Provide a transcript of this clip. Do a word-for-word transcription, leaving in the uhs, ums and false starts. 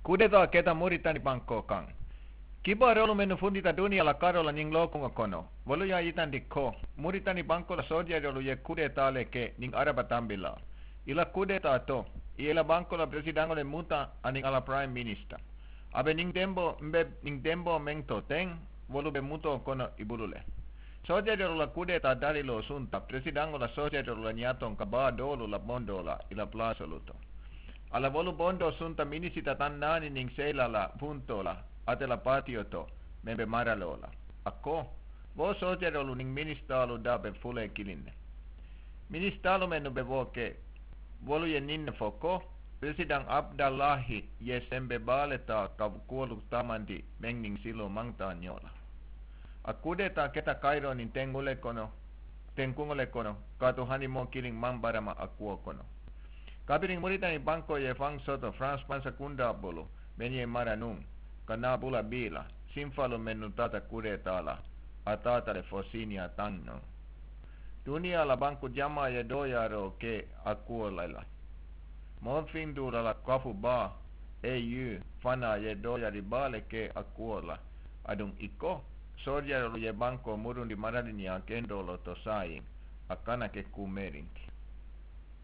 Kudetaa keta muritani bankoo kaŋ. Kibaaroolu mennu fundita duniyaa la karoo la ñiŋ lookuŋo kono, wolu ye a yitandi ko muritani bankoo la soojeroolu ye kudetaa le ke ñiŋ araba tambilaa. I la kudetaa to, i ye i la bankoo la peresidaŋo le muta aniŋ a la puraayim minisita. A be ñiŋ demboo mbe ñiŋ demboo meŋ to teŋ, wolu be mutoo kono i bulu le. Soojeroolu la kudetaa dariloo sunta peresidaŋo la soojeroolu la ñaatoŋ ka baa doolu la bondoo la i la palaasolu to. A la wolu bondoo sunta minisita taŋ naani niŋ seyilaa la puntoo la ate la paatiyo to, meŋ be maraloo la. A ko, wo soojeroolu niŋ minisitaalu daa be fulee kiliŋ ne. Minisitaalu mennu be wo ke, wolu ye ñiŋ ne fo ko, peresidaŋ abudalaahi ye sembe baa le taa ka kuwolu taamandi meŋ niŋ siloo maŋ taa ñoo la. A kudetaa keta kayiroo niŋ tenkuŋo le kono tenkuŋo le kono, kaatu hani moo kiliŋ maŋ barama a kuwo kono. Kabiriŋ muritani bankoo ye faŋ soto faransi pansa kundaa bulu, meŋ ye mara nuŋ ka naa bula bii la, sinfaalu mennu taata kudetaa la, a taata le fo siiniyaa taŋ nuŋ. Duniyaa la banku jamaa ye dooyaaroo ke a kuwo le la. Moo finduura la kafu baa, eu, fanaa ye dooyaari baa le ke a kuwo la. Aduŋ i ko, soojeroolu ye bankoo murundi maraliniyaa kendoo lo to saayiŋ, a kana ke kuu meerin ti.